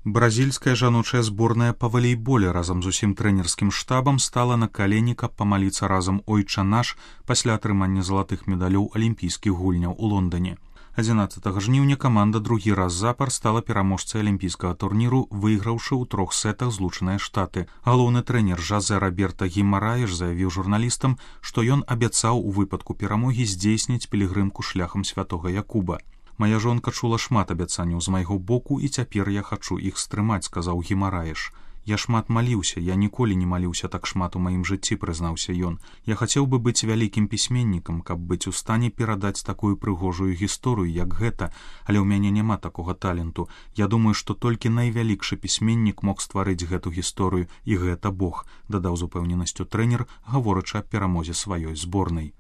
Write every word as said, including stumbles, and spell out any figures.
Бразільская жаночая зборная па валейболе разам з усім трэнерскім штабам стала на калені, каб памаліцца разам «Ойча наш» пасля атрымання залатых медалёў алімпійскіх гульняў у Лондоне. адзінаццатага жніўня каманда другі раз запар стала пераможцай алімпійскага турніру, выйграўшы ў трох сетах Злучаныя Штаты. Галоўны трэнер Жозе Роберта Гімараеш заявіў журналістам, што ён абяцаў у выпадку перамогі здзейсніць пілігрымку шляхам святога Якуба. «Мая жонка чула шмат абяцанняў з майго боку, і цяпер я хачу іх стрымаць», — сказаў Гімараеш. «Я шмат маліўся, я ніколі не маліўся так шмат у маім жыцці», — прызнаўся ён. «Я хацеў бы быць вялікім пісьменнікам, каб быць у стане перадаць такую прыгожую гісторыю, як гэта, але ў мяне няма такога таленту. Я думаю, што толькі найвялікшы пісьменнік мог стварыць гэту гісторыю, і гэта Бог», — дадаў з упэўненасцю трэнер, гаворачы аб перамозе сваёй зборнай.